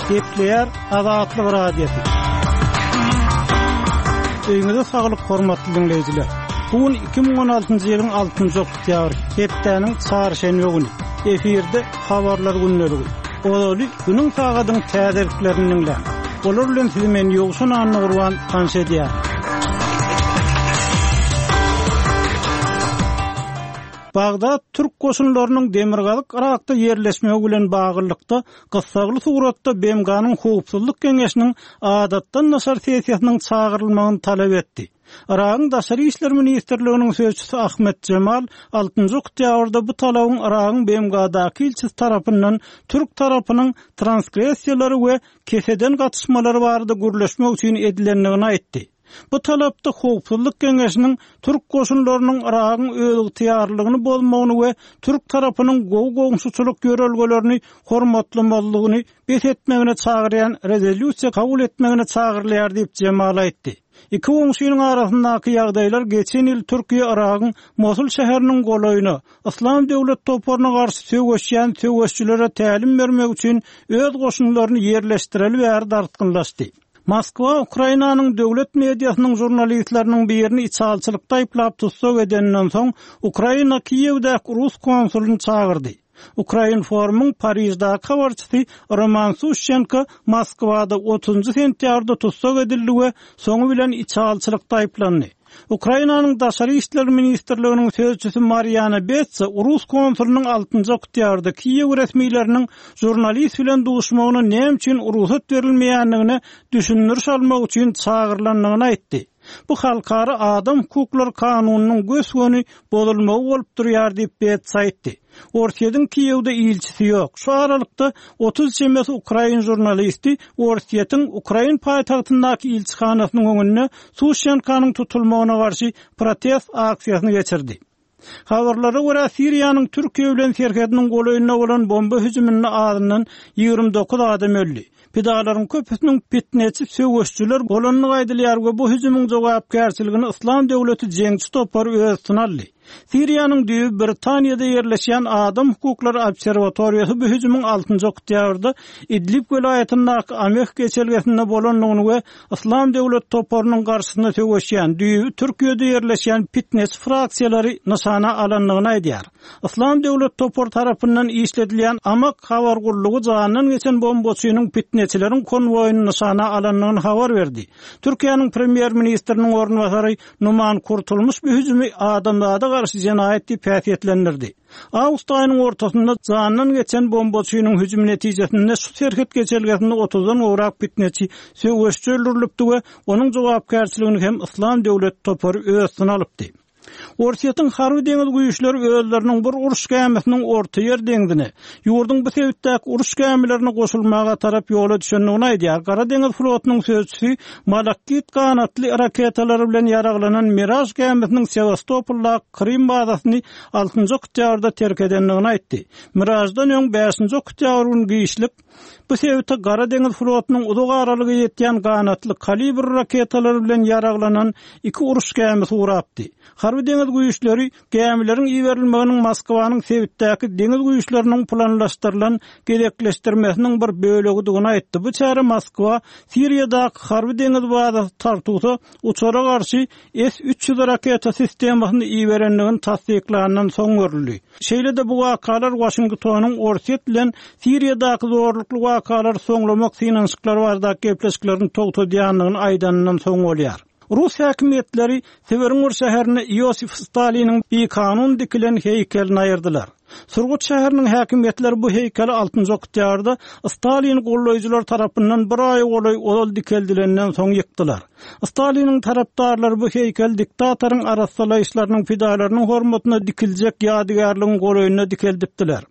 Gepleýär Azatlyk Radiosy. Öýüňize saglyk hormatly diňleýjiler. Bu gün 2016-njy ýylyň 6-njy oktýabry, hepdäniň çarşenbe güni. Efirde habarlar gündeligi. Ozaly günüň sagadyň täzeliklerini diňläň. Olar bilen sizi men Ýowşan Annagurban tanyş edýärin. Bagdat türk goşunlarynyň demirgazyk Yrakda ýerleşmegi bilen baglylykda gyssagly suratda BMG-niň Howpsuzlyk Geňeşiniň adatdan daşary sessiýasynyň çagyrylmagyny talap etdi. Yragyň Daşary işler ministrliginiň sözçüsi Ahmet Jemal altynjy oktýabrda bu talabyň Yragyň BMG-daky ilçisi tarapyndan türk tarapynyň transgressiýalary we keseden gatyşmalary barada gürleşmek üçin edilendigini aýtdy. Bu talapda Howpsuzlyk Geňeşiniň türk goşunlarynyň Yragyň özygtyýarlylygyny bozmagyny we türk tarapynyň gowy goňşuçylyk ýörelgelerini hormatlamazlygyny bes etmegine çagyrýan rezolýusiýa kabul etmegine çagyrylýar diýip, Jemal aýtdy. Iki goňşynyň arasyndaky ýagdaýlar geçen ýyl Türkiýe Yragyň Mosul şäheriniň golaýyna, Yslam döwlet toparyna garşy söweşýän söweşçilere tälim bermek üçin öz goşunlaryny ýerleşdireli bäri dartgynlaşdy. Moskwa Ukrainanyň döwlet mediasynyň žurnalistleriniň birini içalyçylykda aýyplap tussag edeninden soň, Ukraina Kiýewdäki rus konsulyny çagyrdy. Ukrainformyň Pariždäki habarçysy Roman Suşçenko Moskwada otuzynjy sentýabrda tussag edildi we soňy bilen içalyçylykda aýyplandy. Ukrainanyň Daşary işler ministrliginiň sözçüsi Mariana Betsa rus konsulynyň altynjy oktýabrda Kiýew resmileriniň žurnalist bilen duşmagyna näme üçin rugsat berilmeýändigine düşündiriş almak üçin çagyrylandygyny aýtdy. Bu halkara adam hukuklary kanunynyň gös-göni bozulmagy bolup durýar diýip, Betsa aýtdy. Orsýetiň Kiýewde ilçisi ýok. Şu aralykda, 30 çemesi ukrain žurnalisti Orsýetiň ukrain paýtagtyndaky ilçihanasynyň öňünde Suşenkanyň tutulmagyna garşy protest aksiýasyny geçirdi. Habarlara görä, Siriýanyň Türkiýe bilen serhediniň golaýynda bolan bomba hüjüminde azyndan 29 adam öldi. Pidalaryň köpüsiniň pitneçi söweşçiler bolandygy aýdylýar we bu hüjümiň jogapkärçiligini Yslam döwleti jeňçi topary öz üstüne aldy. Siriýanyň düýbi Britaniýada ýerleşýän Adam hukuklary obserwatoriýasy bu hüjümiň altynjy oktýabrda Idlib welaýatyndaky Ameh geçelgesinde bolandygyny we Yslam döwleti toparynyň garşysyna söweşýän düýbi Türkiýede ýerleşýän pitneçi fraksiýalary nyşana alandygyny aýdýar. Yslam döwlet topary tarapyndan işledilýän Amak habar gullugy janyndan geçen bombaçynyň pitneçileriň konwoýyny nyşana alandygyny habar berdi. Türkiýäniň premýer-ministriniň orunbasary Numan Kurtulmuş bu hüjümi adamzada garşy jenaýat diýip häsiýetlendirdi. Awgust aýynyň ortasynda janyndan geçen bombaçynyň hüjümi netijesinde şu serhet geçelgesinde otuzdan gowrak pitneçi söweşçi öldürilipdi we onuň jogapkärçiligini hem Yslam döwlet topary öz üstüne alypdy. Orsýetiň harby-deňiz güýçleri özleriniň bir uruş gämisiniň Ortaýer deňzine, ýurduň bu sebitdäki uruş gämilerine goşulmaga tarap ýola düşendigini aýdýar. Gara deňiz flotunyň sözçüsi Malakit ganatly raketalary bilen ýaraglanan Miraž gämisiniň Sewastopoldaky Krym bazasyny altynjy oktýabrda terk edendigini aýtdy. Miraždan öň bäşinji oktýabr güni giçlik Bu sebite Gara deňiz flotunyň uzak aralyga ýetýän ganatly Kalibr raketalary bilen ýaraglanan iki uruş gämisi ugrapdy. Harby-deňiz güýçleri gämileriň iberilmeginiň Moskwanyň sebitdäki deňiz güýçleriniň planlaşdyrylan gezekleşdirmesiniň bir bölegidigini aýtdy. Bu çäre Moskwa Siriýadaky harby-deňiz bazasy Tartusa uçara garşy S 300 raketa sistemasyny iberendigini tassyklandan soň görüldi. Şeýle-de bu wakalar Waşingtonyň Orsýet bilen Siriýadaky zorlukly wakalary soňlamak synanyşyklary baradaky gepleşiklerini togtadýandygyny aýdanyndan soň bolýar. Rus häkimiýetleri Sibiriň bir şäherinde Iosif Staliniň bikanun dikilen heýkelini aýyrdylar. Surgut şäheriniň häkimiýetleri bu heýkeli altynjy oktýabrda Stalini goldaýjylar tarapyndan bir aýa golaý ozal dikeldilenden soň ýykdylar. Staliniň tarapdarlary bu heýkeli diktatoryň arassalaýyşlarynyň pidalarynyň hormatyna dikiljek ýadygärligiň golaýynda dikeldipdiler.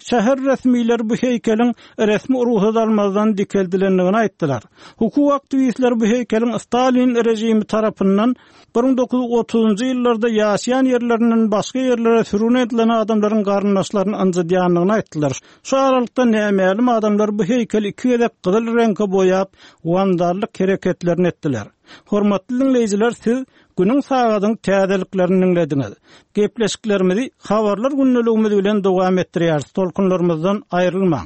Şäher resmileri bu heýkeliň resmi rugsat almazdan dikeldilendigini aýtdylar. Hukuk aktiwistleri bu heýkeliň Stalin režimi tarapyndan 1930-njy ýyllarda ýaşaýan ýerlerinden başga ýerlere sürgün edilen adamlaryň garyndaşlaryny ynjydýandygyny aýtdylar. Şu aralykda nämälim adamlar bu heýkeli iki gezek gyzyl reňke boýap, wandallyk hereketlerini etdiler. Hormatly diňleýjiler, siz Günüň sagadyň täzeliklerini diňlediňiz. Gepleşiklerimizi Habarlar gündeligimiz bilen dowam etdirýäris, tolkunlarymyzdan aýrylmaň.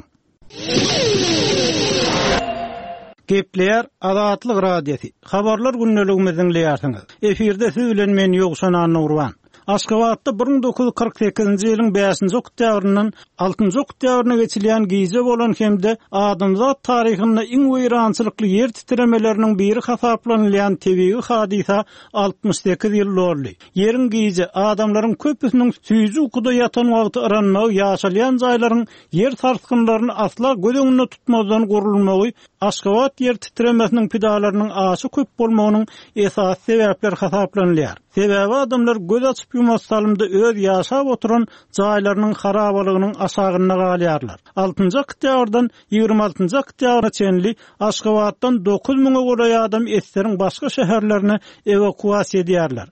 Gepleýär Azatlyk Radiosy, Habarlar gündeligimizi diňleýärsiňiz. Efirde siz bilen men Ýowşan Annagurban. Aşgabatda 1948-nji ýylyň bäşinji oktýabryndan altynjy oktýabryna geçilýän gije bolan hem-de adamzat taryhynda iň weýrançylykly ýer titremeleriniň biri hasaplanylýan tebigy hadysa 68 ýyl doldy. Ýeriň gije, adamlaryň köpüsiniň süýji ukuda ýatan wagty yranmagy ýaşalýan jaýlaryň ýer sarsgynlaryny asla göz öňünde tutmazdan gurulmagy Aşgabat ýer titremesiniň pidalarynyň aşa köp bolmagynyň esasy sebäpleri hasaplanylýar. Sebäbi adamlar göz açyp-ýumasy salymda öz ýaşap oturan jaýlarynyň harabalygynyň aşagynda galýarlar. Altynjy oktýabrdan 26-njy oktýabra çenli Aşgabatdan 9 müňe golaý adam eseriň başga şäherlerine ewakuasiýa edýärler.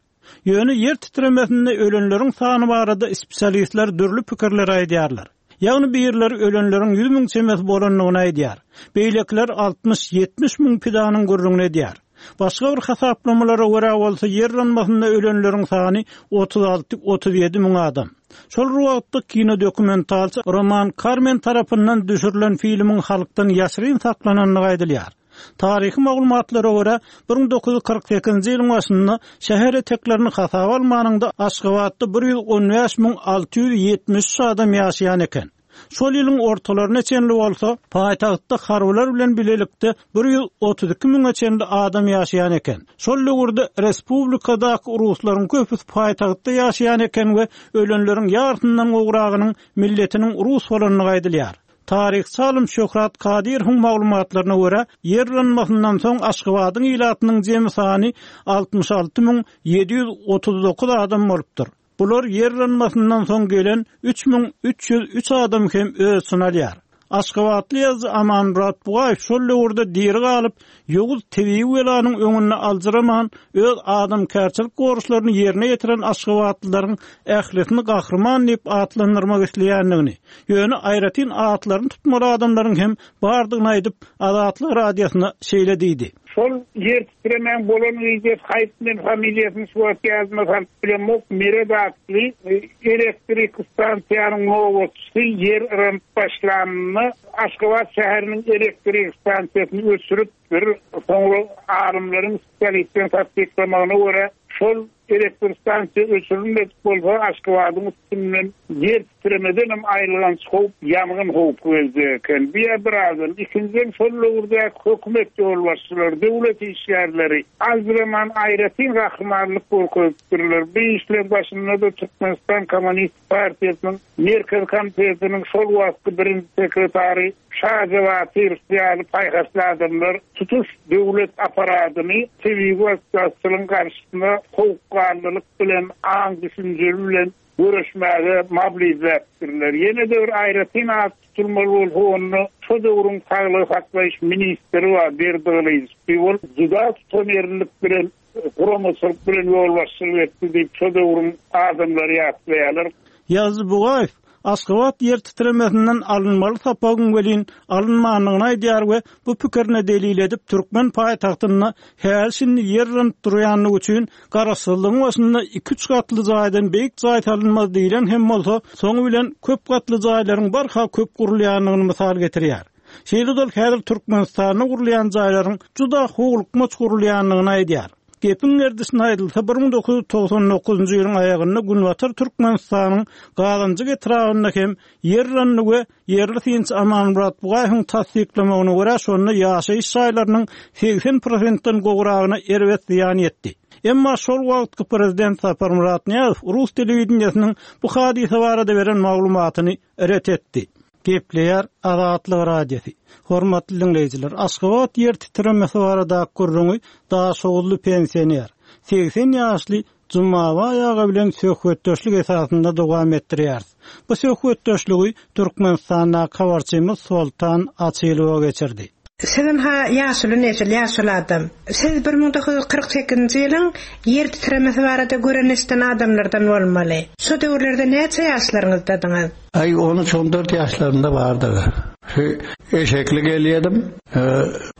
Ýöne ýer titremesinde ölenleriň sany barada spesialistler dürli pikirleri aýdýarlar. Ýagny birleri ölenleriň 100 müň çemesi bolandygyny aýdýar. Beýlekiler 60-70 müň pidanyň gürrüňini edýär. Başga bir hasaplamalara görä bolsa ýer yranmasynda ölenleriň sany 36-37 müň adam. Şol bir wagtda kinodokumentalçy Roman Karmen tarapyndan düşürilen filmiň halkdan ýaşyryn saklanandygy aýdylýar. Taryhy maglumatlara görä, 1948-nji ýylyň başynda şäher eteklerini hasaba almanyňda Aşgabatda 115 673 adam ýaşaýan eken. Şol ýylyň ortalaryna çenli bolsa, paýtagtda harbylar bilen bilelikde 132 müňe çenli adam ýaşaýan eken. Şol döwürde respublikadaky ruslaryň köpüsi paýtagtda ýaşaýan eken we ölenleriň ýarysyndan gowragynyň milletiniň rus bolandygy aýdylýar. Taryhçy alym Şöhrat Kadyrowyň maglumatlaryna görä, ýer yranmasyndan soň Aşgabadyň ilatynyň jemi sany 66 739 adam bolupdyr. Bular ýer yranmasyndan soň gelen 3303 adam hem öz içine alýar. Aşgabatly ýazyjy Amanmyrat Bugaýew şol döwürde diri galyp, ýowuz tebigy belanyň öňünde aljyraman, öz adamkärçilik borçlaryny ýerine ýetiren aşgabatlylaryň ählisini gahryman diýip atlandyrmak isleýändigini, ýöne aýratyn atlaryny tutmaly adamlaryň hem bardygyny aýdyp, Azatlyk Radiosyna şeýle diýdi. Şol ýer titremäň bolan gijesi haýp men familiýasyny şu wagt ýadyma salyp bilemok Meret atly elektrik stansiýanyň nobatçysy ýer yranyp başlanynda Aşgabat şäheriniň elektrik stansiýasyny öçüripdir. Soňra alymlaryň spesialistleriň tassyklamagyna görä şol Elektr stansiýa öçürilmedik bolsa, Aşgabadyň üstünden ýer titremedenem aýylganç howp, ýangyn howpy geljek eken. Bu ýa bir adam. Ikinjiden, şol döwürdäki hökümet ýolbaşçylary, döwlet işgärleri aljyraman aýratyn gahrymanlyk görkezipdirler. Bu işleň başynda-da Türkmenistan Kommunistik partiýasynyň Merkezi Komitetiniň şol wagtky birinji sekretary Şaja Batyrow ýaly paýhasly adamlar tutuş döwlet apparadyny tebigy betbagtçylygyň garşysyna sowukganlylyk bilen, aň-düşünjeli bilen göreşmäge mobilizläpdirler. Ýene-de bir aýratyn at tutulmaly bolsa, onda şo döwrüň saglygy saklaýyş ministri bar, Berdi Gylyjow. Ol juda tutanýerlilik bilen guramaçylyk bilen ýolbaşçylyk etdi diýip, şo döwrüň adamlary ýatlaýarlar. Ýazyjy Bugaýew Aşgabat ýer titremesinden alynmaly sapagyň welin alynmandygyny aýdýar we bu pikirine delil edip türkmen paýtagtynda häli-şindi ýer yranyp durýandygy üçin garaşsyzlygyň başynda iki-üç gatly jaýdan beýik jaý salynmaz diýlen hem bolsa, soňy bilen köp gatly jaýlaryň barha köp gurulýandygyny mysal getirýär. Şeýle-de ol häzir Türkmenistanda gurulýan jaýlaryň juda howlukmaç gurulýandygyny aýdýar. Gepiň gerdişine aýdylsa, 1999-njy ýylyň aýagynda Günbatar Türkmenistanyň Gazanjyk etrabynda hem ýer yrandy we ýerli synçy Amanmyrat Bugaýewiň tassyklamagyna görä, şonda ýaşaýyş jaýlarynyň 80 prosentden gowragyna erbet zyýan ýetdi. Emma şol wagtky prezident Saparmyrat Nyýazow rus telewideniýesiniň bu hadysa barada beren maglumatyny ret etdi. Gepleýär Azatlyk Radiosy. Hormatly diňleýjiler, Aşgabat ýer titremesi baradaky gürrüňi daşoguzly pensioner, 80 ýaşly Jumabaý aga bilen söhbetdeşlik esasynda dowam etdirýäris. Bu söhbetdeşligi Türkmenistandaky habarçymyz Soltan Açylowa geçirdi. Sizem-ha ýaşuly nesil, ýaşuly adam. Siz 1948-nji ýylyň ýer titremesi barada gören-eşiden adamlardan bolmaly. Şo döwürlerde näçe ýaşlaryňyzdadyňyz? Aý, on üç, on dört ýaşlarynda bardyr. Şu eşekli gelýärdim.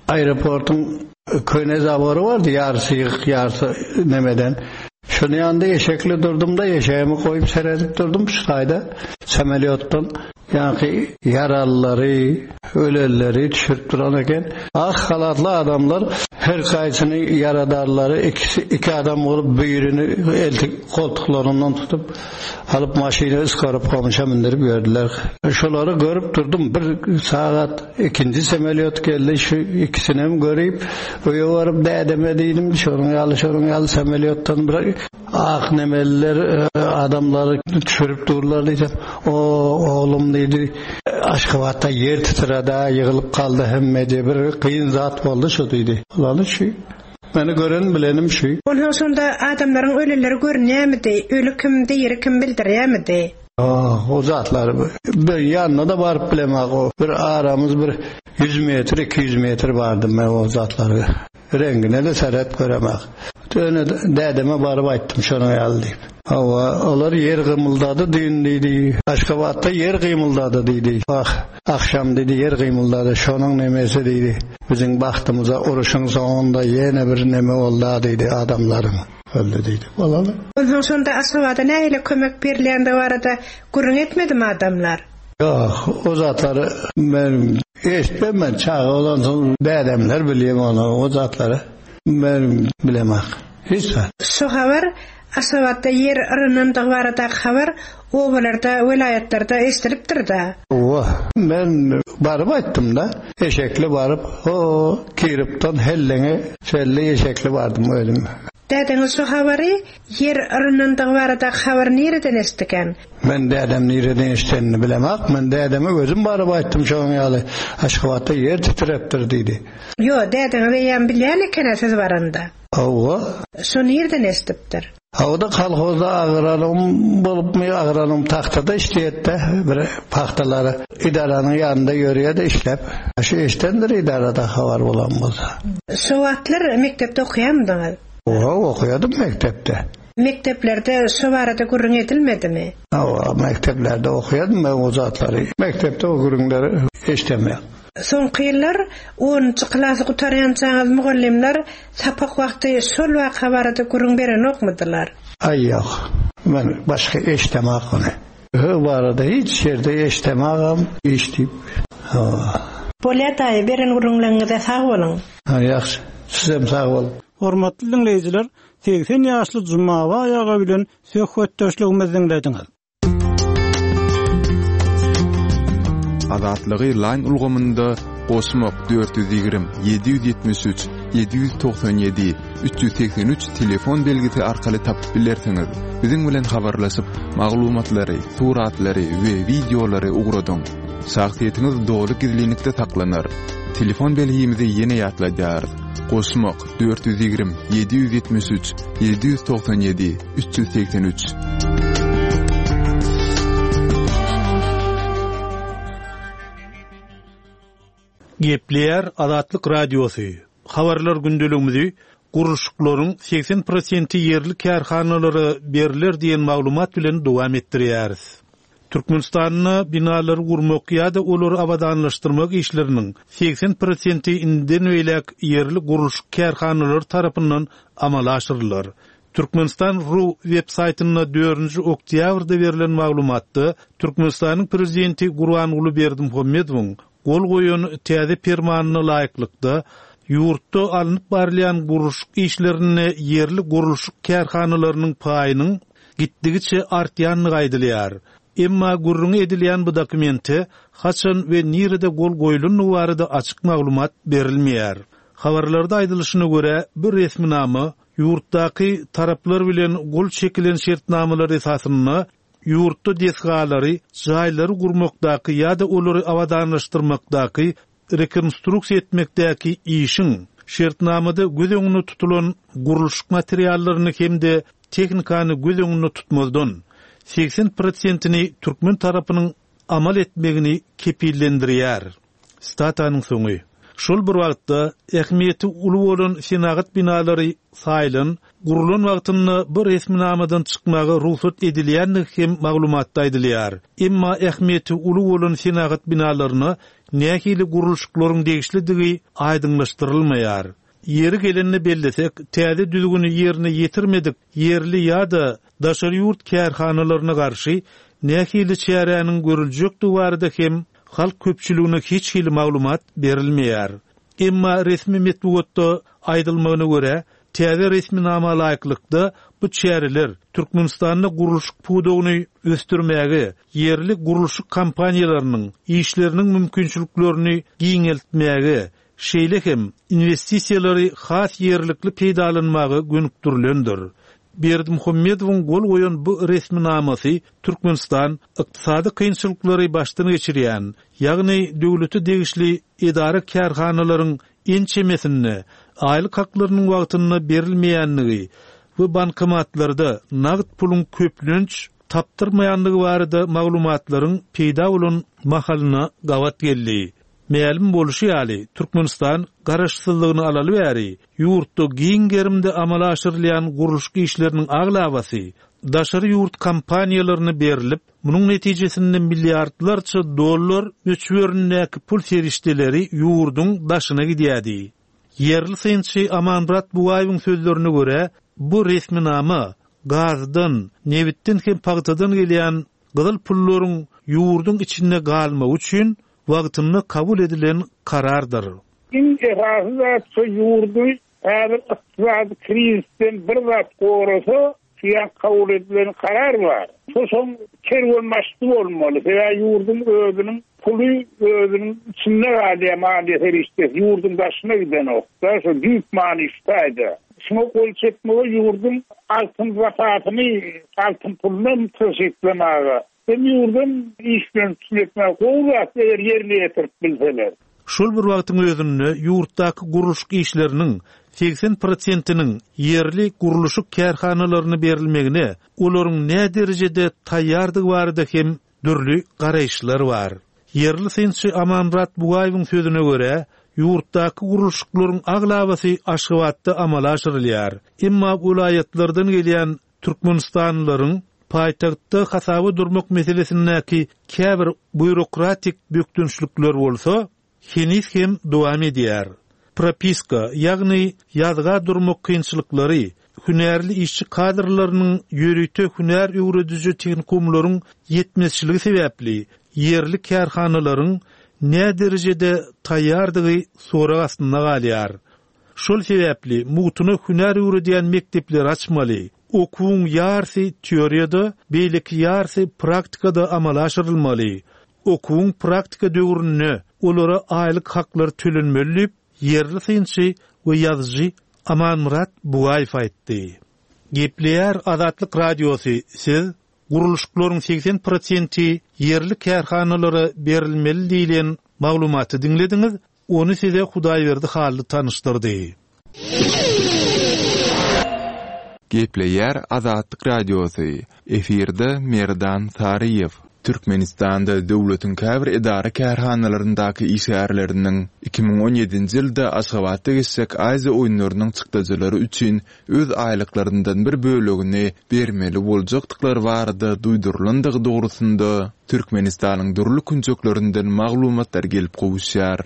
Aeroportyň köne zabory bardy, ýarysy ýykyk, ýarysy nemeden. Şonuň ýanynda eşekli durdum-da, eşegimi goýup seredip durdum şu taýda, samolýotdan. Ýaňky ýaralylary, ölenleri düşürip duran eken. Ak halatly adamlar her haýsyny ýaradarlary ikisi iki adam bolup birini eltip goltuklaryndan tutup alyp maşyna ysgaryp gomşa mündirip ýördüler. Şolary görüp durdum. Bir sagat ikinji semolýot geldi. Şu ikisinem görüp öýe baryp dädeme diýdim. Şonuň ýaly şonuň ýaly semolýotdan bir Ak nemeliler adamlary düşürip durlar diýsem, O, oglum diýdi, Aşgabatda ýer titredi-ä, ýygylyp galdy hemmeje, bir kyn zat boldy şu diýdi. Bolaly şu. Meni gören bilenim şu. Onsoň şonda adamlaryň ölüleri görünýärmidi, öli kim, diri kim bildirýärmidi? Ah, o zatlary bir ýanyna-da baryp bilemok. O bir aramyz bir ýüz metr, 200 metr bardy men o zatlary. Reňgine-de seret göremek. Ýöne dädeme baryp aýtdym şonuň ýaly diýip. Hawa, olar ýer gymyldady düýn diýdi. Aşgabatda ýer gymyldady diýdi. Wah, agşam diýdi ýer gymyldady, şonuň nemesi diýdi. Biziň bagtymyza uruşyň soňunda ýene bir neme bolda diýdi, adamlaryň öldi diýdi. Bolaly. Onsoň şonda Aşgabada nähili kömek berilýändigi barada gürrüň etmedimi adamlar? Ýok, o zatlary men eşitmem men çaga bolansoň dädemler bilýär ony o zatlary men bilemok hiç zat. Şu habar Aşgabatda ýer yranandygy baradaky habar obalarda, welaýatlarda eşidilipdir-da. Hawa, men baryp aýtdym-da, eşekli baryp, ho, Kiripden Helleňe çenli eşekli bardym özüm. Dädeňiz şu habary, ýer yranandygy baradaky habary nireden eşitdikän? Men dädem nireden eşidenini bilemok. Men dädeme özüm baryp aýtdym şonuň ýaly Aşgabatda ýer titrepdir diýdi. Ýo, dädeňiz eýýäm bilýän eken-ä siz baranda. Hawa. Şo nirden eşidipdir? Hawa-da kolhozda agranom bolupmy, agranom tagtada işleýärdi-de, bir pagtalary edaranyň ýanynda ýörýärdi işläp. Şu eşidendir edarada habar bolan bolsa. Şo wagtlar mekdepde okaýarmydyňyz? Hawa, okaýardym mekdepde. Mekdeplerde şo barada gürrüň edilmedimi? Hawa, mekdeplerde okaýardym men o zatlary. Mekdepde o gürrüňleri eşidemok. Soňky ýyllar onunjy klasy gutarýançaňyz mugallymlar sapak wagty şol waka barada gürrüň berenokmydylar? Aý ýok. Men başga eşidemok ony. O barada hiç ýerde eşidemogam eşidip. Hawa. Bolýa daýy, beren gürrüňleriňize sag boluň. Ha, ýagşy. Sizem sag boluň. Hormatly diňleýjiler, 80 ýaşly Jumabaý aga bilen söhbetdeşligimizi diňlediňiz. Azatlygy Line ulgamynda goşmak 420 773 797 383 telefon belgisi arkaly tapyp bilersiňiz. Biziň bilen habarlaşyp, maglumatlary, suratlary we wideolary ugradyň. Şahsyýetiňiz doly gizlinlikde saklanar. Telefon belgimizi ýene ýatladýarys. Goşmak 420 773 797 383. Gepleýär Azatlyk Radiosy, Habarlar gündeligimizi gurluşyklaryň 80 prosenti ýerli kärhanalara berler diýen maglumat bilen dowam etdirýäris. Türkmenistanda binalary gurmak ýa-da olary abadanlaşdyrmak işleriniň 80 prosenti indiden beýläk ýerli gurluşyk kärhanalary tarapyndan amala aşyrylar. Türkmenistan ru web saýtynda dördünji oktýabrda berlen maglumatda Türkmenistanyň Prezidenti Gurbanguly Berdimuhamedowyň gol goýan täze Permanyna laýyklykda, ýurtda alnyp barylýan gurluşyk işlerinde ýerli gurluşyk kärhanalarynyň paýynyň gitdigiçe artýandygy aýdylýar. Emma gürrüňi edilýän bu dokumente haçan we nirede gol goýlandygy barada açyk maglumat berilmeýär. Habarlarda aýdylyşyna görä, bu resminama ýurtdaky taraplar bilen gol çekilen şertnamalar esasynda ýurtda desgalary, jaýlary gurmakdaky ýa-da olary abadanlaşdyrmakdaky, rekonstruksiýa etmekdäki işiň, şertnamada göz öňünde tutulan gurluşyk materiallaryny hem-de tehnikany göz öňünde tutmazdan, 80 prosentini türkmen tarapynyň amal etmegini kepillendirýär. Sitatanyň soňy. Şol bir wagtda, ähmiýeti uly bolan senagat binalary saýlan, gurlan wagtynda bu resminamadan çykmaga rugsat edilýändigi hem maglumatda aýdylýar. Emma ähmiýeti uly bolan senagat binalaryna nähili gurluşyklaryň degişlidigi aýdyňlaşdyrylmaýar. Ýeri gelende bellesek, täze düzgüni ýerine ýetirmedik ýerli ýa-da daşary ýurt kärhanalaryna garşy nähili çäräniň görüljekdigi barada hem halk köpçüligine hiç hili maglumat berilmeýär. Emma resmi metbugatda aýdylmagyna görä, täze resminama laýyklykda bu çäreler Türkmenistanda gurluşyk pudagyny ösdürmäge, ýerli gurluşyk kompaniýalarynyň işleriniň mümkinçiliklerini giňeltmäge, şeýle hem inwestisiýalary has ýerlikli peýdalanmaga gönükdirilendir. Berdimuhamedowyň gol goýan bu resminamasy Türkmenistan ykdysady kynçylyklary başdan geçirýän, ýagny döwlete degişli edara-kärhanalaryň ençemesinde aýlyk haklarynyň wagtynda berilmeýändigi we bankomatlarda nagt puluň köplenç tapdyrmaýandygy barada maglumatlaryň peýda bolan mahalyna gabat geldi. Mälim bolşy ýaly, Türkmenistan Garaşsyzlygyny alaly bäri ýurtda giň gerimde amala aşyrylýan gurluşyk işleriniň aglabasy daşary ýurt kompaniýalaryna berlip, munuň netijesinde milliardlarça dollar möçberindäki pul serişdeleri ýurduň daşyna gidýärdi. Ýerli synçy Amanmyrat Bugaýewiň sözlerine görä, bu resminama gazdan, nebitden hem pagtadan gelýän gyzyl pullaryň ýurduň içinde galmagy üçin wagtynda kabul edilen karardyr. Iň esasy zat şu ýurdy häzir ykdysady krizisden bir zat gorasa şu ýa kabul edilen karar bar. Şo şoň kerwenbaşysy bolmaly. Sebäbi ýurduň özüniň puly özüniň içinde galýar maliýe serişdesi ýurduň daşyna gidenok-da şo düýp many şu taýda. Şuňa gol çekmegi ýurduň altyn zapasyny altyn pulunam tygşytlamaga Hem ýurdam iş bilen üpjün etmäge gowy zat eger ýerine ýetirip bilseler. Şol bir wagtyň özünde ýurtdaky gurluşyk işleriniň 80 prosentiniň ýerli gurluşyk kärhanalaryna berilmegine olaryň näderejede taýýardygy barada hem dürli garaýyşlar bar. Ýerli synçy Amanmyrat Bugaýewiň sözüne görä, ýurtdaky gurluşyklaryň aglabasy Aşgabatda amala aşyrylýar. Emma welaýatlardan gelýän Türkmenistanlylaryň paýtagtda hasaba durmak meselesindäki käbir býurokratik bökdençlikler bolsa, heniz hem dowam edýär. Propiska, ýagny ýazga durmak kynçylyklary, hünärli işçi kadrlarynyň ýörite hünär öwrediji tehnikumlaryň ýetmezçiligi sebäpli ýerli kärhanalaryň näderejede taýýardygy sorag astynda galýar. Şol sebäpli mugtuna hünär öwredýän mekdepleri açmaly. Okuwyň ýarsy teoriýada, beýleki ýarsy praktikada amala aşyrylmaly. Okuwyň praktika döwründe olara aýlyk haklar tölenmeli diýip, ýerli synçy we ýazyjy Amanmyrat Bugaýew aýtdy. Gepleýär Azatlyk Radiosy, Siz gurluşyklaryň 80 prosenti ýerli kärhanalara berilmeli diýlen maglumaty diňlediňiz, Ony size Hudaýberdi Hally tanyşdyrdy. Gepleýär Azatlyk Radiosy, Efirde Merdan Saryýew. Türkmenistanda döwletiň käbir edara-kärhanalaryndaky işgärleriniň 2017-nji ýylda Aşgabatda geçjek Aziýa oýunlarynyň çykdajylary üçin öz aýlyklaryndan bir bölegini bermeli boljakdyklary barada duýdurylandygy dogrusynda Türkmenistanyň dürli künjeklerinden maglumatlar gelip gowuşýar.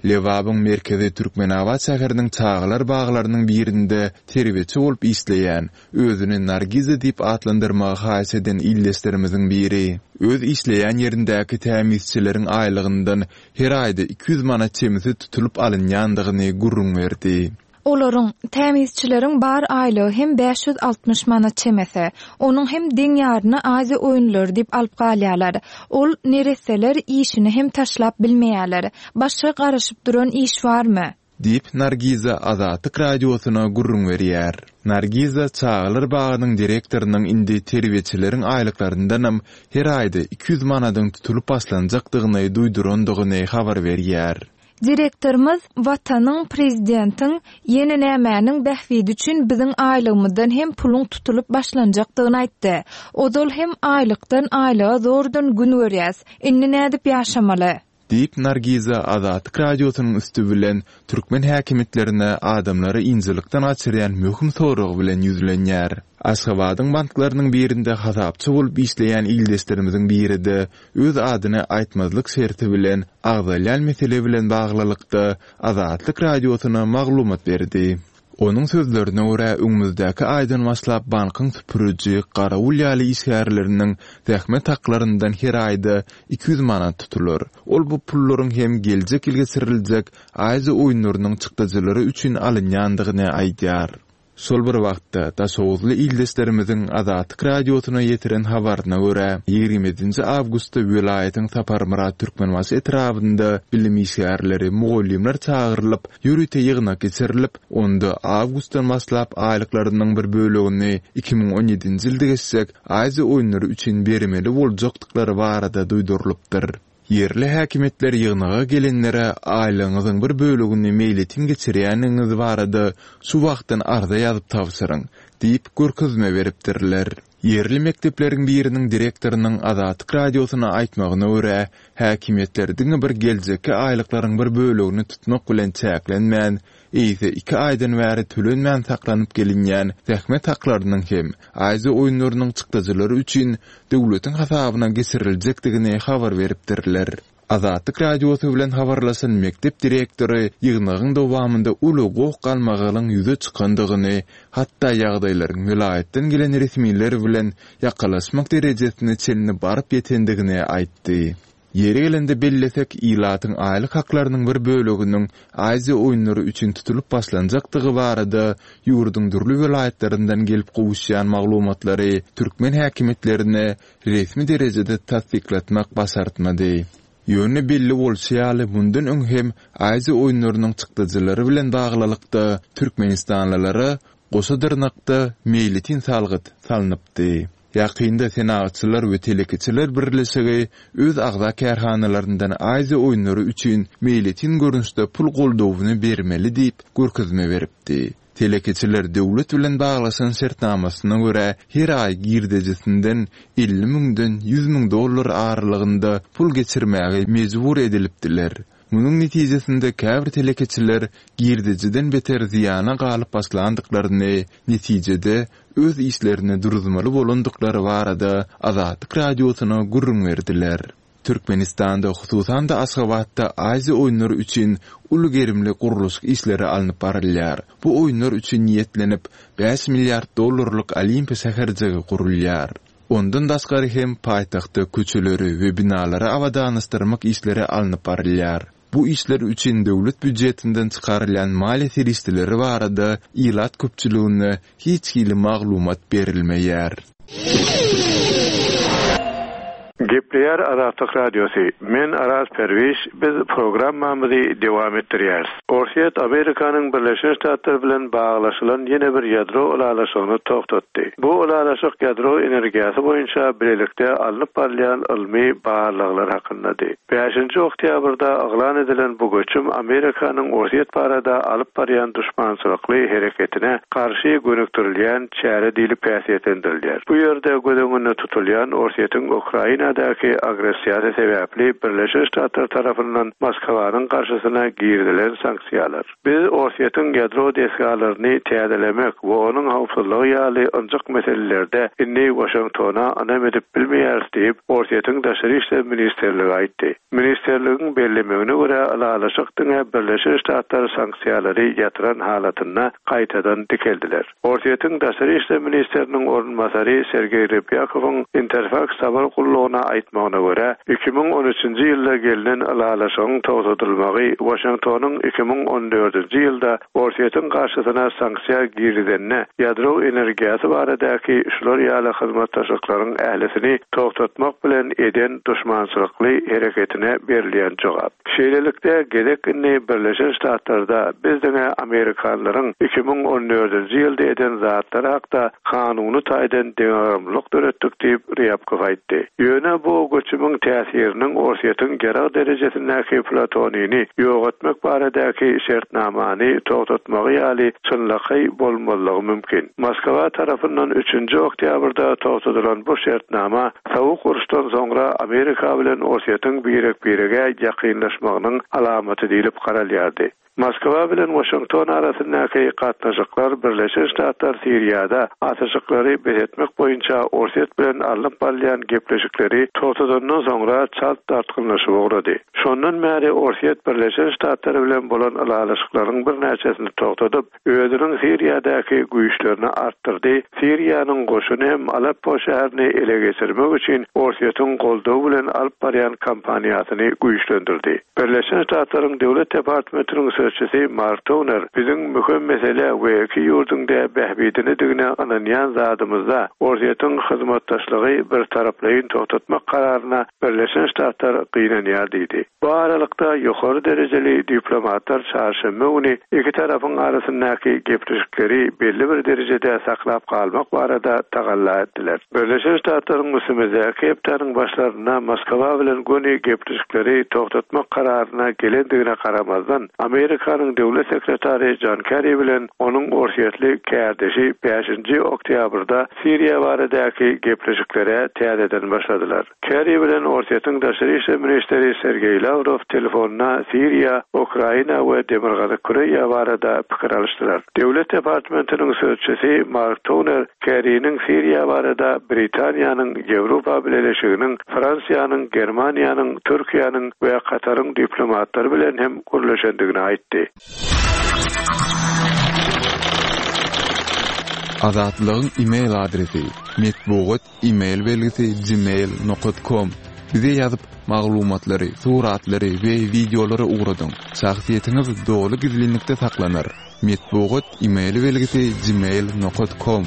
Lebabyň merkezi Türkmenabat şäheriniň çagalar baglarynyň birinde terbiýeçi bolup işleýän, özüni Nargiza diýip atlandyrmagy haýyş eden ildeşlerimiziň biri, öz işleýän ýerindäki tämizçileriň aýlygyndan her aýda 200 manat çemesi tutulyp alynýandygyny gürrüň berdi. Olaryň, tämizçileriň bar aýlygy hem 560 manat çemesi. Onuň hem deň ýaryny Aziýa oýunlary diýip alyp galýarlar. Ol neresseler işini hem taşlap bilmeýärler. Başga garaşyp duran iş barmy? Diýip, Nargiza Azatlyk Radiosyna gürrüň berýär. Nargiza çagalar bagynyň direktorynyň indi terbiýeçileriň aýlyklaryndanam her aýda 200 manadyň tutulyp başlanjakdygyny duýdurandygyny habar berýär. Direktorymyz Watanyň, prezidentiň, ýene nämäniň bähbidi üçin biziň aýlygymyzdan hem puluň tutulyp başlanjakdygyny aýtdy. Ozal hem aýlykdan aýlyga zordan gün görýäs. Indi nädip ýaşamaly? Diýip, Nargiza Azatlyk Radiosynyň üsti bilen türkmen häkimiýetlerine adamlary ynjalykdan gaçyrýan möhüm sorag bilen ýüzlenýär. Aşgabadyň banklarynyň birinde hasapçy bolup işleýän ildeşlerimiziň biri-de öz adyny aýtmazlyk şerti bilen agzalýan mesele bilen baglylykda Azatlyk Radiosyna maglumat berdi. Onuň sözlerine görä, öňümizdäki aýdan başlap bankyň süpüriji, garawul ýaly işgärleriniň zähmet haklaryndan her aýda 200 manat tutular. Ol bu pullaryň hem geljek ýyl geçiriljek Aziýa oýunlarynyň çykdajylary üçin alynýandygyny aýdýar. Şol bir wagtda, daşoguzly ildeşlerimiziň Azatlyk Radiosyna ýetiren habaryna görä, 27-nji awgustda welaýatyň Saparmyrat Türkmenbaşy etrabynda bilim işgärleri, mugallymlar çagyrylyp, ýörite ýygnak geçirilip, onda awgustdan başlap aýlyklarynyň bir bölegini 2017-nji ýylda geçjek Aziýa oýunlary üçin bermeli boljakdyklary barada duýdurylypdyr. Ýerli häkimiýetler ýygnaga gelenlere aýlygyňyzyň bir bölegini meýletin geçirýändigiňiz barada şu wagtdan arza ýazyp tabşyryň diýip görkezme beripdirler. Ýerli mekdepleriň biriniň direktorynyň Azatlyk Radiosyna aýtmagyna görä, häkimiýetler diňe bir geljekki aýlyklaryň bir bölegini tutmak bilen çäklenmän, eýse iki aýdan bäri tölenmän saklanyp gelinýän zähmet haklarynyň hem Aziýa oýunlarynyň çykdajylary üçin döwletiň hasabyna geçiriljekdigini habar beripdirler. Azatlyk Radiosy bilen habarlaşan mekdep direktory ýygnagyň dowamynda uly goh-galmagalyň ýüze çykandygyny, hatda ýagdaýlaryň welaýatdan gelen resmiler bilen ýakalaşmak derejesine çenli baryp ýetendigini aýtdy. Ýeri gelende bellesek, ilatyň aýlyk haklarynyň bir böleginiň Aziýa oýunlary üçin tutulyp başlanjakdygy barada ýurduň dürli welaýatlaryndan gelip gowuşýan maglumatlary türkmen häkimiýetlerine resmi derejede tassyklatmak başartmady. Ýöne belli bolşy ýaly, mundan öň hem Aziýa oýunlarynyň çykdajylary bilen baglylykda türkmenistanlylara goşa dyrnakda meýletin salgyt salnypdy. Ýakynda Senagatçylar we telekeçiler birleşigi öz agza kärhanalaryndan Aziýa oýunlary üçin meýletin görnüşde pul goldawyny bermeli diýip görkezme beripdi. Telekeçiler döwlet bilen baglaşan şertnamasyna görä her aý girdejisinden 50 müňden 100 müň dollar aralygynda pul geçirmäge mejbur edilipdiler. Munuň netijesinde käbir telekeçiler girdejiden beter zyýana galyp başlandyklaryny, netijede öz işlerini duruzmaly bolandyklary barada Azatlyk Radiosyna gürrüň berdiler. Türkmenistanda, hususan-da Aşgabatda Aziýa oýunlary üçin uly gerimli gurluşyk işleri alnyp barylýar. Bu oýunlar üçin niýetlenip, bäş milliard dollarlyk Olimpiýa şäherjigi gurulýar. Ondan daşgary hem paýtagtda köçeleri we binalary abadanlaşdyrmak işleri alnyp barylýar. Bu işler üçin döwlet býujetinden çykarylýan maliýe serişdeleri barada ilat köpçüligine hiç hili maglumat berilmeýär. Gepleýär Azatlyk Radiosy, Men Araz Perwiş, biz programmamyzy dowam etdirýäris. Orsýet Amerikanyň Birleşen Ştatlary bilen baglaşylan ýene bir ýadro ylalaşygyny togtatdy. Bu ylalaşyk ýadro energiýasy boýunça bilelikde alnyp barylýan ylmy barlaglar hakyndady. Bäşinji oktýabrda yglan edilen bu göçüm Amerikanyň Orsýet barada alyp barýan duşmançylykly hereketine garşy gönükdirilýän çäre diýlip häsiýetlendirilýär. Bu ýerde göz öňünde tutulýan Orsýetiň Ukrainadaky agressiýasy sebäpli Birleşen Ştatlar tarapyndan Moskwanyň garşysyna girizilen sanksiýalar. Biz Orsýetiň ýadro desgalaryny täzelemek we onuň howpsuzlygy ýaly ynjyk meselelerde indi Waşingtona ynam edip bilmeýäris diýip, Orsýetiň Daşary işler ministrligi aýtdy. Ministrligiň bellemegine görä, ylalaşyk diňe Birleşen Ştatlar sanksiýalary ýatyran halatynda gaýtadan dikeldiler. Orsýetiň daşary işler ministriniň orunbasary Sergeý Rybýakowyň Interfaks habar gullugyna aýtmagyna görä, 2013-nji ýylda gelnen ylalaşygyň togtadylmagy Waşingtonyň 2014-nji ýylda Orsýetiň garşysyna sanksiýa girizenine ýadro energiýasy baradaky şular ýaly hyzmatdaşlyklaryň ählisini togtatmak bilen eden duşmançylykly hereketine berilýän jogap. Şeýlelikde, gezek indi Birleşen Ştatlarda biz diňe amerikanlaryň 2014-nji ýylda eden zatlary hakda kanuny taýdan deňagramlylyk döretdik diýip, Rýabkow aýtdy. Ýöne. bu göçümiň täsiriniň Orsýetiň ýarag derejesindäki plutonini ýok etmek baradaky şertnamany togtatmagy ýaly çynlakaý bolmazlygy mümkin. Moskwa tarapyndan üçünji oktýabrda togtadylan bu şertnama Sowuk uruşdan soňra Amerika bilen Orsýetiň birek-birege ýakynlaşmagynyň alamaty diýlip garalýardy. Moskwa bilen Waşington arasyndaky gatnaşyklar Birleşen Ştatlar Siriýada atyşyklary bes etmek boýunça Orsýet bilen alnyp barylýan gepleşikleri togtadandan soňra çalt dartgynlaşyp ugrady. Şondan bäri Orsýet Birleşen Ştatlar bilen bolan ylalaşyklaryň birnäçesini togtadyp, özüniň Siriýadaky güýçlerini artdyrdy, Siriýanyň goşuny hem Aleppo şäherini ele geçirmek üçin Orsýetiň goldawy bilen alyp barýan kampaniýasyny güýçlendirdi. Birleşen Ştatlaryň Döwlet departamentiniň sözçüsi Mark Toner, Biziň möhüm mesele we iki ýurduň-da bähbidinedigine ynanýan zadymyzda Orsýetiň hyzmatdaşlygy birtaraplaýyn togtatmak kararyna Birleşen Ştatlar gynanýar diýdi. Bu aralykda, ýokary derejeli diplomatlar çarşenbe güni iki tarapyň arasyndaky gepleşikleri belli bir derejede saklap galmak barada tagalla etdiler. Birleşen Ştatlaryň üstümizdäki hepdäniň başlarynda Moskwa bilen göni gepleşikleri togtatmak kararyna gelendigine garamazdan, Amerikanyň Döwlet sekretary Jon Kerri bilen onuň orsýetli kärdeşi bäşinji oktýabrda Siriýa baradaky gepleşiklere täzeden başladylar. Kerri bilen Orsýetiň daşary işler ministri Sergeý Lawrow telefonda Siriýa, Ukraina we Demirgazyk Koreýa barada pikir alyşdylar. Döwlet departamentiniň sözçüsi Mark Toner Kerriniň Siriýa barada Britaniýanyň, Ýewropa Bileleşiginiň, Fransiýanyň, Germaniýanyň, Türkiýäniň we Kataryň diplomatlary bilen hem gürleşendigini aýtdy. Azatlygyň e-mail adresi, metbugat e-mail belgisi gmail nokat kom. Bize ýazyp, maglumatlary, suratlary we wideolary ugradyň. Şahsyýetiňiz doly gizlinlikde saklanar. Metbugat e-mail belgisi gmail nokat kom.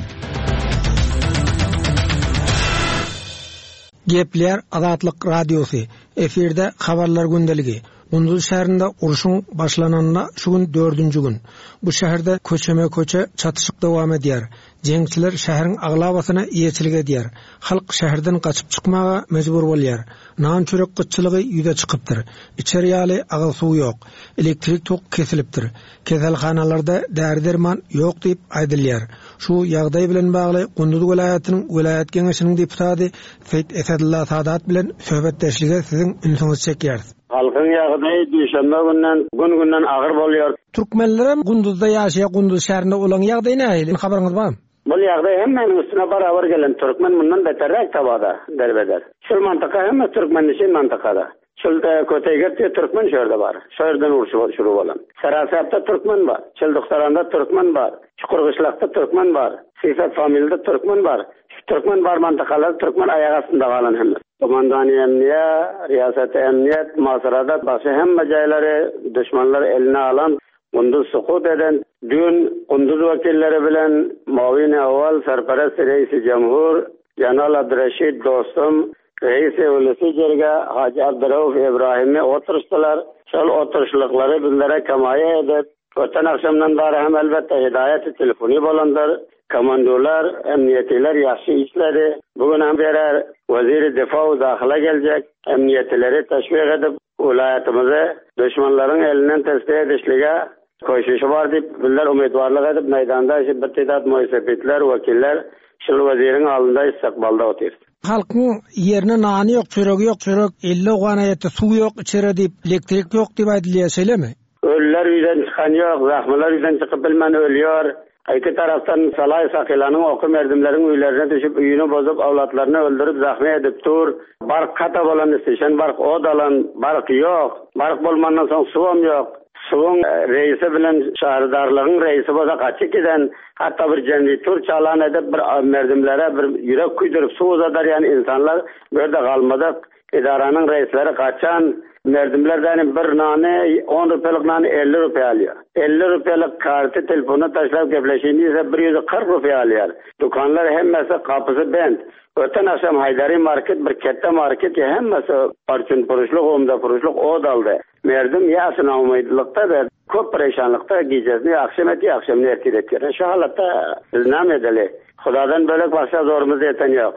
Gepleýär Azatlyk Radiosy, efirde Habarlar gündeligi. Gunduz şäherinde urşuň başlananyna şu gün dördünji gün. Bu şäherde köçeme-köçe çatyşyk dowam edýär. Jeňçiler şäheriň aglabasyna eýeçilik edýär. Halk şäherden gaçyp çykmaga mejbur bolýar. Nan-çörek gytçylygy ýüze çykypdyr. Içer ýaly agyz suw ýok. Elektrik tok kesilipdir. Keselhanalarda däri-derman ýok diýip aýdylýar. Şu ýagdaý bilen bagly Gunduz welaýatynyň welaýat geňeşiniň deputady Seýit Esedulla Sadat bilen söhbetdeşlige siziň ünsüňizi çekýäris. Halkyň ýagdaýy duşenbe günden gün-günden agyr bolýar. Türkmenlerem Gunduzda ýaşaýar Gunduz şäherinde olaň ýagdaýy nähili habaryňyz barmy? Bul ýagdaý hemmäniň üstüne barabar gelen türkmen mundan beterräk tabada derbeder. Şul mantyka hemme türkmennişin mantykada. Şul Köteýgert diýe türkmen şu ýerde bar. Şo ýerden urşy şuru bolan. Sarasapda türkmen bar. Çilduhtaranda türkmen bar. Çukurgyşlakda türkmen bar. Sisat familde türkmen bar. Şu türkmen bar mantykalar türkmen aýak astynda galan hemme. Komandany emniýe, riýaseti emniýet, Masyrada başy hemme jaýlary duşmanlar eline alan Gunduz sukut eden Düýn Gunduz wekilleri bilen Mawini Awal Serperesti Reisi Jemhur Jenal Abdyreşit Dostum Reisi Ulysy Jirge Hajy Abdyrauf Ibrahimi oturyşdylar. Şol oturyşlyklary bizlere kemaýa edip, öten agşamdan bäri hem elbetde hidaýaty telefony bolandyr. Komandurlar, emniýetiler ýagşy işledi. Bu gün hem berer Weziri Difa we Dahyla geljek. Emniýetileri teşwik edip, welaýatymyzy duşmanlaryň elinden tesbiýe edişlige köşüşi bar diýip, bizler umytwarlyk edip, meýdanda şu bir tedat moýsepitler, wekiller şul weziriň alynda istikbalda otyrys. Halkyň ýerine nany ýok, çöregi ýok, çörek 50 owgana ýetdi, suw ýok içere diýip, elektrik ýok diýip aýdylýar, şeýlemi? Ölüler ýüzden çykan ýok, zahmylar ýüzden çykyp bilmän ölýär. Iki tarapdan Salaý Sakylanyň oky merdimleriň öýlerine düşüp, öýüni bozup, awlatlaryny öldürip, zahmy edip dur. Bark kata bolan istişen bark ot alan, bark ýok. Bark bolmandan soň suwam ýok. Suwuň reýsi bilen şäherdarlygyň reýsi bolsa gaçyp giden, hatda bir jenritur çalan edip bir merdimlere bir ýürek küýdürip suw uzadarýan insanlar bu ýerde galmadyk. Edaranyň reisleri gaçan merdimlerdenim bir nany on rupiýalyk nany 50 rupiýa alýar. 50 rupiýalyk karty telefona taşlap gepleşýin diýse 140 rupiýa alýar. Dükanlar hemmesi gapysy bent. Öten agşam Haýdari market bir ketde market ýa hemmesi parçun puruşlyk umda puruşlyk od aldy. Merdim ýa naumytlykda we köp pereşanlykda gijesini agşam etýär agşamyny ertir etýär. Şu halatda biz näme edeli? Hudadan bölek başga zorumyz ýeten ýok.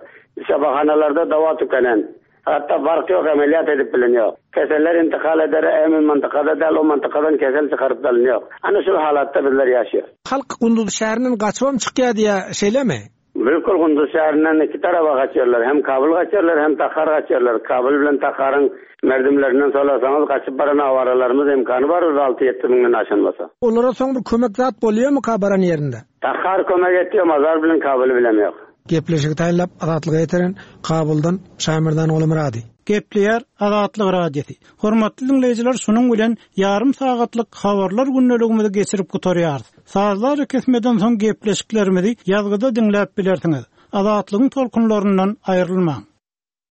Şabahanalarda dawa tükenen. Hatda bark ýok, emeliýat edip bilen ýok. Keseller intikal edere emin mantykada däl, o mantykadan kesel çykaryp dalyny ýok. Ana şul halatda bizler ýaşýas. Halk Gunduz şäherinden gaçybam çykýar diýýär, şeýlemi? Bilkul Gunduz şäherinden iki taraba gaçýarlar. Hem Kabul gaçýarlar, hem Tahar gaçýarlar. Kabul bilen Taharyň merdimlerinden solasaňyz, gaçyp baran awaralarymyz imkany bar bir alty-ýetdi müňden aşan bolsa. Olara soň bir kömek zat bolýarmyka baran ýerinde? Tahar kömek etýär, Mazar bilen Kabuly bilemýok. Gepleşigi taýynlap Azatlyga ýetiren Kabuldan Şaýmerdan Gulumyrady. Gepleýär Azatlyk Radiosy. Hormatly diňleýjiler şunuň bilen ýarym sagatlyk habarlar gündeligimizi geçirip gutarýarys. Sazly arakesmeden soň gepleşiklerimizi ýazgyda diňläp bilersiňiz. Azatlygyň tolkunlaryndan aýrylmaň.